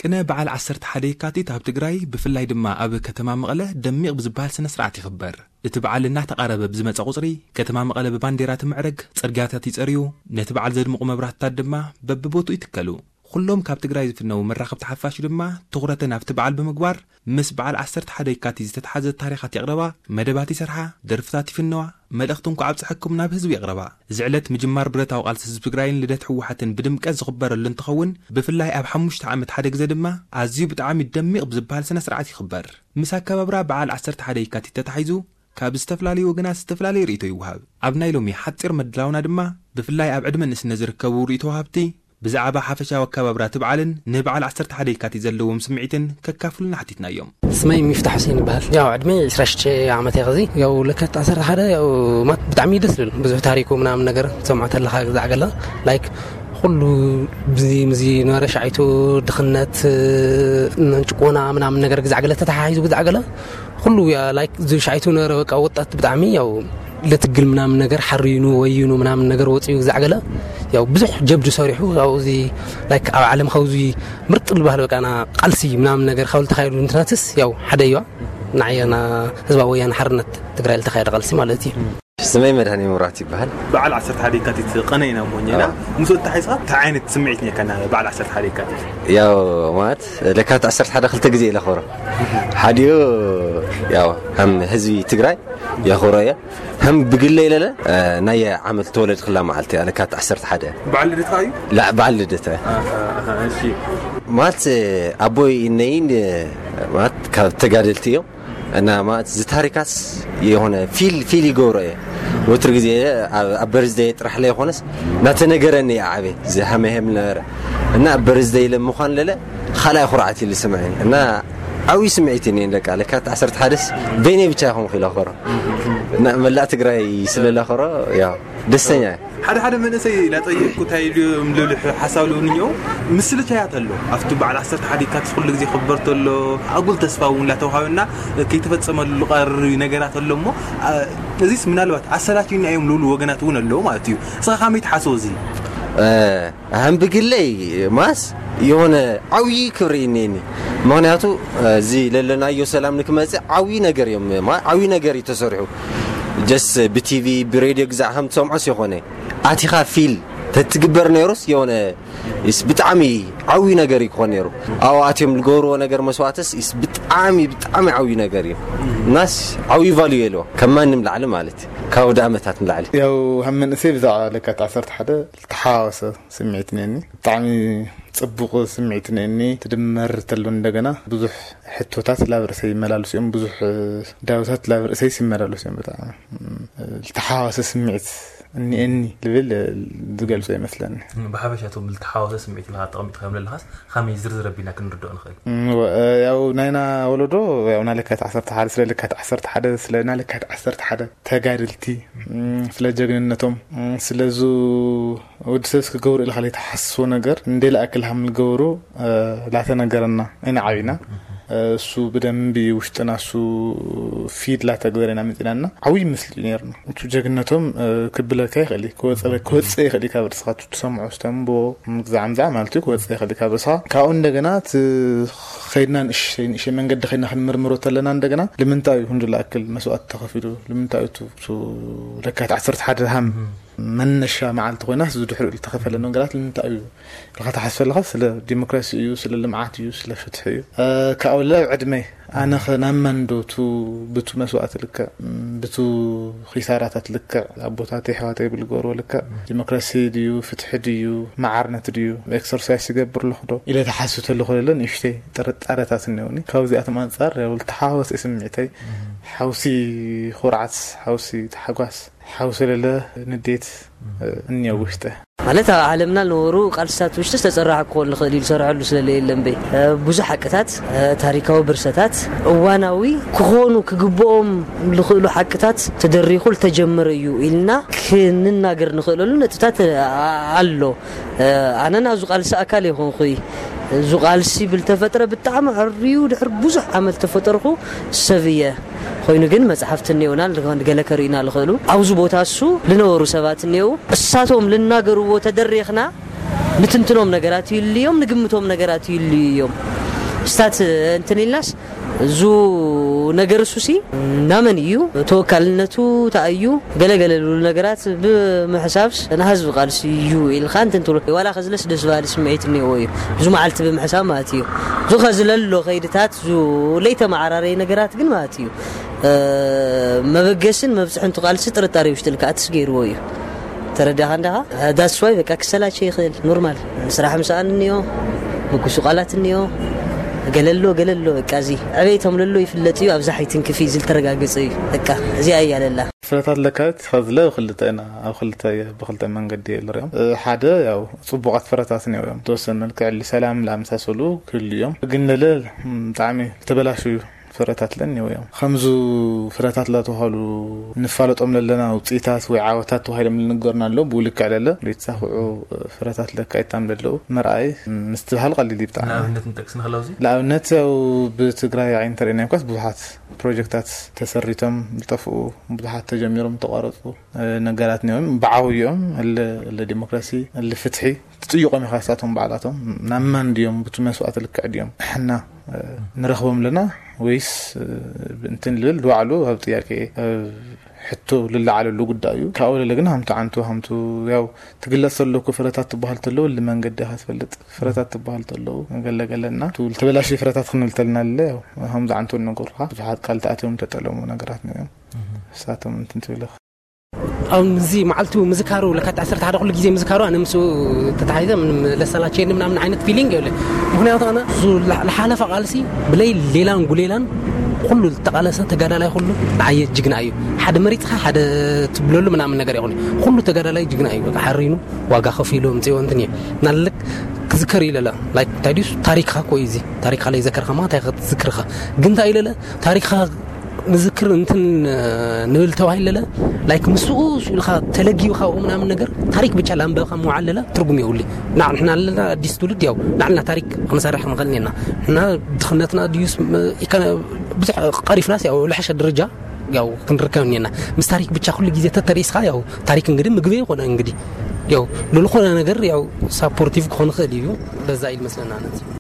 ቅነ በዓል ዓሰርተ ሓደ የካቲት ኣብ ትግራይ፣ ብፍላይ ድማ ኣብ ከተማ መቐለ ደሚቕ ብዝበሃል ስነ ስርዓት ይኽበር። እቲ በዓል እናተቓረበ ብዝመፀ ቁፅሪ፣ ከተማ መቐለ ብባንዴራ ትምዕረግ፣ ፅርግያታት ይፀርዩ፣ ነቲ በዓል ዘድምቑ መብራህትታት ድማ በብቦትኡ ይትከሉ። ኩሎም ካብ ትግራይ ዝፍነዉ መራኸብቲ ሓፋሽ ድማ ትኹረተን ኣብቲ በዓል ብምግባር፣ ምስ በዓል ዓሰርተ ሓደ የካቲት ዝተተሓዘ ታሪኻት የቕረባ፣ መደባት ይሰርሓ፣ ደርፍታት ይፍነዋ፣ መልእኽቲ እንኳዕ ኣብፀሐኩም ናብ ህዝቢ የቕረባ። እዚ ዕለት ምጅማር ብረታዊ ቃልሲ ህዝቢ ትግራይን ልደት ህወሓትን ብድምቀት ዝኽበረሉ እንትኸውን፣ ብፍላይ ኣብ ሓሙሽተ ዓመት ሓደ ግዜ ድማ ኣዝዩ ብጣዕሚ ደሚቕ ብዝበሃል ስነ ስርዓት ይኽበር። ምስ ኣከባብራ በዓል ዓሰርተ ሓደ የካቲት ተታሒዙ፣ ካብ ዝተፈላለዩ ወገናት ዝተፈላለየ ርእይቶ ይወሃብ። ኣብ ናይ ሎሚ ሓፂር መድላውና ድማ፣ ብፍላይ ኣብ ዕድመ ንእስነት ዝርከቡ ርእይቶ ወሃብቲ፣ ብዛዕባ ሓፈሻዊ ኣከባብራ እቲ በዓልን ንበዓል ዓሰርተ ሓደ የካቲት ዘለዎም ስምዒትን ከካፍሉና ሓቲትናዮም። ስመይ ሚፍታሕ ሁሴን ይበሃል። ያው ዕድመይ ዕስራ ሽዱሽተ ዓመት እየ። ኸዚ ያው ለካቲት ዓሰርተ ሓደ ያው ማት ብጣዕሚ ደስ ዝብል ብዙሕ ታሪኩ ምናምን ነገር ትሰምዖ ተለኻ ግዛዕ ገለ ላይክ ኩሉ ብዚ ምዚ ነበረ ሻዒቱ ድኽነት ጭቆና ምናምን ነገር ግዛዕ ገለ ተተሓሒዙ ግዛዕ ገለ ኩሉ ያ ላይክ እዚ ሻዒቱ ነበረ በቃ ወጣት ብጣዕሚ ያው ለትግል ምናምን ነገር ሓሪኑ ወይኑ ምናምን ነገር ወፂኡ ግዛዕ ገለ ያው ብዙሕ ጀብዱ ሰሪሑ ያው እዚ ላይክ ኣብ ዓለም ካብዚ ምርጥ ዝበሃል በቃ ና ቃልሲ ምናምን ነገር ካብ ዝተኻየዱ እንትናትስ ያው ሓደ እዩዋ ንዓየና ህዝባዊ ወያነ ሓርነት ትግራይ ዝተኻየደ ቃልሲ ማለት እዩ። ስመይ መድሃኒ ሙራት ይበሃል። በዓል ዓሰርተ ሓደ የካቲት ቀነ ኢና እሞ እኛ ኢና። አዎ። ምስ ወዲ ሓይስኻ እንታይ ዓይነት ስምዒት ነካ ና በዓል ዓሰርተ ሓደ የካቲት? ያው ማለት ለካቲት ዓሰርተ ሓደ ክልተ ግዜ ኢለ ኸሮ ሓዲኡ ያው ከም ህዝቢ ትግራይ የኽብሮ እየ። ከም ብግለ ኢለለ ናይ ዓመት ተወለድክላ መዓልቲ እያ ለካቲት ዓሰርተ ሓደ። በዓል ልደትካ እዩ? ላ በዓል ልደት እያ። ኣሃ፣ ኣሃ፣ እሺ። ማለት ኣቦይ እነይን ማለት ካብ ተጋደልቲ እዮም። እና ማለት እዚ ታሪካት የሆነ ፊል ፊል ይገብሮ እየ። ወትር ግዜ ኣብ ኣብ በርዝደይ ጥራሕ ላይ ኾነስ እናተነገረኒ እየ ዓበ ዝሃመ ሄም ነበረ እና ኣብ በርዝደይ ለምዃን ለለ ካልኣይ ኩርዓት ኢሉ ስምዐኒ እና ዓብዪ ስምዒት እኔ ደቃ ለካ ዓሰርተ ሓደስ በይነይ ብቻ ይኾንኩ ኢለ ኸሮ እና መላእ ትግራይ ስለ ለኸሮ ያው ደስተኛ እየ። ሓደ ሓደ መንእሰይ ላጠየቅኩ እንታይ ኢሉ እዮም ልብሉ ሓሳብ ልብሉ እኒኦ ምስልቻያት ኣሎ ኣብቲ በዓል ዓሰርተ ሓደ የካቲት ኩሉ ግዜ ክበር ተሎ ኣጉል ተስፋ እውን ላተውሃበና ከይተፈጸመሉ ቀር ነገራት ኣሎ እሞ እዚስ ምናልባት ኣሰላችና እዮም ልብሉ ወገናት እውን ኣለዉ ማለት እዩ። እስኻ ካመይ ትሓስቦ እዚ? ኣህም ብግለይ ማስ የሆነ ዓብዪ ክብሪ እኔኒ ምክንያቱ እዚ ለለናዮ ሰላም ንክመፅእ ዓብዪ ነገር እዮም ማ- ዓብዪ ነገር እዩ ተሰሪሑ ጀስ ብቲቪ ብሬድዮ ግዛዕ ከም ትሰምዖስ የኾነ ኣቲኻ ፊል ተትግበር ነይሩስ የሆነ ስ ብጣዕሚ ዓብዪ ነገር እዩ ክኾን ነይሩ ኣብኡ ኣትዮም ዝገብርዎ ነገር መስዋዕትስ ስ ብጣዕሚ ብጣዕሚ ዓብዪ ነገር እዩ እናስ ዓብዪ ቫልዩ የለዎ ከም ማንም ላዕሊ ማለት እዩ ካብ ወደ ዓመታት ንላዕሊ ያው ከም መንእሰይ ብዛዕባ ለካት ዓሰርተ ሓደ ዝተሓዋወሰ ስምዒት ነኒ ብጣዕሚ ፅቡቕ ስምዒት ነኒ ትድመር ተሎ እንደገና ብዙሕ ሕቶታት ላብ ርእሰይ ይመላለሱ እዮም ብዙሕ ዳውታት ላብ ርእሰይ ይመላለሱ እዮም ብጣዕሚ ዝተሓዋወሰ ስምዒት እኒኤኒ ልብል ዝገልጾ ይመስለኒ። ብሓፈሻ እቶም ዝተሓዋወሰ ስምዒት ኢልካ ተቐሚጥካዮም ዘለኻስ ከመይ ዝርዝር ኣቢልና ክንርድኦ ንኽእል? ያው ናይና ወለዶ ያው ናይ ለካት ዓሰርተ ሓደ ስለ ለካት ዓሰርተ ሓደ ስለ ናይ ለካት ዓሰርተ ሓደ ተጋድልቲ ስለ ጀግንነቶም ስለዙ ወዲ ሰብስ ክገብሩ ኢልካ ዘይትሓስቦ ነገር እንደ ለኣክል ሃም ዝገብሩ ላተነገረና ኢና ዓቢና እሱ ብደንቢ ውሽጥና እሱ ፊድ ላተግበረ ኢና መፂናና ዓብይ ምስሊ እዩ ነርና እቱ ጀግነቶም ክብለካ ይኽእል ክወፅእ ይኽእል ካብ ርስኻ ትሰምዖ ስተንቦ ግዛዕ ምዛዕ ማለት እዩ ክወፅእ ይኽእል ካብ ርስኻ ካብኡ እንደገና ከይድና ንእሽተይ ንእሽተይ መንገዲ ከይድና ክንምርምሮ ተለና እንደገና ንምንታይ ይኹን ዝለኣክል መስዋእቲ ተኸፊሉ ንምንታይ ለካት ዓሰርተ ሓደ ሃም መነሻ መዓልቲ ኮይና ዝድሕሪኡ ዝተኸፈለ ነገራት ንምንታይ እዩ ኢልካ ትሓስብ ኣለኻ ስለ ዲሞክራሲ እዩ ስለ ልምዓት እዩ ስለ ፍትሒ እዩ ካብኡ ልዕሊ ዕድመይ ኣነ ኸ ናብ መን ዶ ቱ ብቱ መስዋእቲ ልክዕ ብቱ ኺሳራታት ልክዕ ኣቦታተይ ኣሕዋተይ ብዝገበርዎ ልክዕ ዲሞክራሲ ድዩ ፍትሒ ድዩ መዓርነት ድዩ ኤክሰርሳይስ ይገብር ኣለኹ ዶ ኢለ ተሓስብ ተለኹ ለለ ንእሽተይ ጥርጣረታት እኒኦኒ ካብዚኣቶም ኣንፃር ዝተሓዋወሰ ስምዒተይ ሓውሲ ኩርዓት ሓውሲ ታሕጓስ ሓውሲ ለለ ንዴት እኒኦ ውሽጠ ማለት ኣብ ዓለምና ዝነበሩ ቃልስታት ውሽጢ ዝተፀራሐ ክኾን ዝኽእል እዩ ዝሰርሐሉ ስለለ የለን በይ ብዙሕ ሓቅታት ታሪካዊ ብርሰታት እዋናዊ ክኾኑ ክግብኦም ዝኽእሉ ሓቅታት ተደሪኹ ዝተጀመረ እዩ ኢልና ክንናገር ንኽእለሉ ነጥብታት ኣሎ ኣነ ናብዚ ቃልሲ ኣካል የኾንኩይ እዚ ቃልሲ ብልተፈጥረ ብጣዕሚ ዕርዩ ድሕር ብዙሕ ዓመት ተፈጠርኩ ሰብ እየ ኮይኑ ግን መፅሓፍቲ እኒኦና ገለ ከርእዩና ዝኽእሉ ኣብዚ ቦታ እሱ ዝነበሩ ሰባት እኒው እሳቶም ዝናገርዎ ተደሪኽና ንትንትኖም ነገራት ይልዮም፣ ንግምቶም ነገራት ይልዩ እዮም። ስታት እንትን ኢልናስ፣ እዙ ነገር እሱሲ ናመን እዩ፣ ተወካልነቱ እንታይ እዩ፣ ገለገለ ዝብሉ ነገራት ብምሕሳብስ ንህዝቢ ቃልሲ እዩ ኢልካ እንትን ትብሎ፣ ዋላ ከዝለስ ደስ በሃሊ ስምዒት እኒኦ እዩ። ብዙ መዓልቲ ብምሕሳብ ማለት እዩ። እዙ ከዝለሎ ከይድታት፣ እዙ ለይተመዓራረየ ነገራት ግን ማለት እዩ፣ መበገስን መብፅሕንቱ ቃልሲ ጥርጣሬ ውሽጥልካ ኣትስ ገይርዎ እዩ። ተረዳኻ እንዳኻ? ዳስዋይ በቃ ክሰላቸ ይኽእል፣ ኖርማል። ስራሕ ምሰኣን እኒኦ፣ ምኩሱ ቃላት እኒኦ፣ ገለሎ ገለሎ በቃ፣ እዚ ዕቤቶም ለሎ ይፍለጥ እዩ። ኣብዛ ሓይትንክፍ እዩ ዝልተረጋገጸ እዩ። በቃ እዚኣ እያ ለላ። ፍረታት ለካቲት ከዝለ ብክልተ ኢና፣ ኣብ ክልተ፣ ብክልተ መንገዲ ንሪኦም። ሓደ ያው ጽቡቓት ፍረታት እኒኦ እዮም። ተወሰነ መልክዕ ሰላም ላመሳሰሉ ክህሉ እዮም። ግን ለለ ብጣዕሚ ዝተበላሹ ፍረታት ለኒዎ እዮም። ከምዙ ፍረታት ላተባሃሉ ንፋለጦም ለለና ውፅኢታት ወይ ዓወታት ተባሂሎም ልንገሩና ኣለዉ። ብኡ ልክዕ ለለ ዘይተሳኽዑ ፍረታት ለካይታም ለለዉ ምርኣይ ምስትብሃል ቀሊል እዩ ብጣዕሚ። ንኣብነት ንጠቅስ ንኽእል ኣብዚ? ንኣብነት ያው ብትግራይ ዓይኒ እንተሪእና እኳስ ብዙሓት ፕሮጀክታት ተሰሪቶም ዝጠፍኡ፣ ብዙሓት ተጀሚሮም ዝተቋረፁ ነገራት እኒኦም። ብዓብዮም እለ እለ ዲሞክራሲ እለ ፍትሒ ትጥይቆም ኢኻ። ንሳቶም ባዕላቶም ናብ መን ድዮም፣ ብቲ መስዋእቲ ልክዕ ድዮም ንሕና ንረኽቦም ኣለና ወይስ እንትን ልብል ድባዕሉ ኣብ ጥያቄ ሕቶ ልለዓለሉ ጉዳይ እዩ። ካብኡ ለለ ግን ሃምቱ ዓንቱ ሃምቱ ያው ትግለጽ ተለኩ ፍረታት ትበሃል ተለዉ ልመንገዲ ኢኻ ትፈልጥ፣ ፍረታት ትበሃል ተለዉ ገለገለና ትብል ተበላሽ ፍረታት ክንብል ተልና ለለ ያው ሃምዚ ዓንቱ ነገሩካ ብዙሓት ቃል ተኣትዮም ተጠለሙ ነገራት እዮም። ንሳቶም እንትን ትብል ኢኻ። ኣብዚ መዓልቱ ምዝካሩ ለካቲት ዓሰርተ ሓደ ኩሉ ግዜ ምዝካሩ ኣነ ምስኡ ተታሒዘ ምንም ለሰላቸየኒ ምናምን ዓይነት ፊሊንግ የብለ። ምክንያቱ ኣነ እሱ ላ- ለሓለፈ ቃልሲ ብለይ ሌላን ጉሌላን ኩሉ ዝተቃለሰ ተጋዳላይ ኩሉ ንዓየ ጅግና እዩ። ሓደ መሪፅካ ሓደ ትብለሉ ምናምን ነገር ይኹን ኩሉ ተጋዳላይ ጅግና እዩ። በቃ ሓሪኑ ዋጋ ከፊሉ ምፅኦ እንትን እዩ ናልክ ክዝከር ይለለ ላይክ እንታይ ድዩስ ታሪክካ ኮ እዩ እዚ ታሪክካ ለይ ዘከርካ ማ እንታይ ክትዝክርካ ግን እንታይ ይለለ ታሪክካ ንዝክር እንትን ንብል ተባሂለለ ላይክ ምስኡ ኢልካ ተለጊብካ ኣብኡ ምናምን ነገር ታሪክ ብቻ ላንበብካ ምውዓል ለለ ትርጉም የብሉ። ንሕና ኣለና ኣዲስ ትውልድ ያው ንዓልና ታሪክ ክንሰርሕ ንኽእል ኔና ንሕና ድኽነትና ድዩስ ብዙሕ ቀሪፍናስ ያው ልሐሸ ደረጃ ያው ክንርከብ ኔና ምስ ታሪክ ብቻ ኩሉ ግዜ ተተሪስካ ያው ታሪክ እንግዲህ ምግቢ ይኮነ እንግዲህ ያው ልልኾነ ነገር ያው ሳፖርቲቭ ክኾን ይኽእል እዩ። በዛ ኢል መስለና ነዚ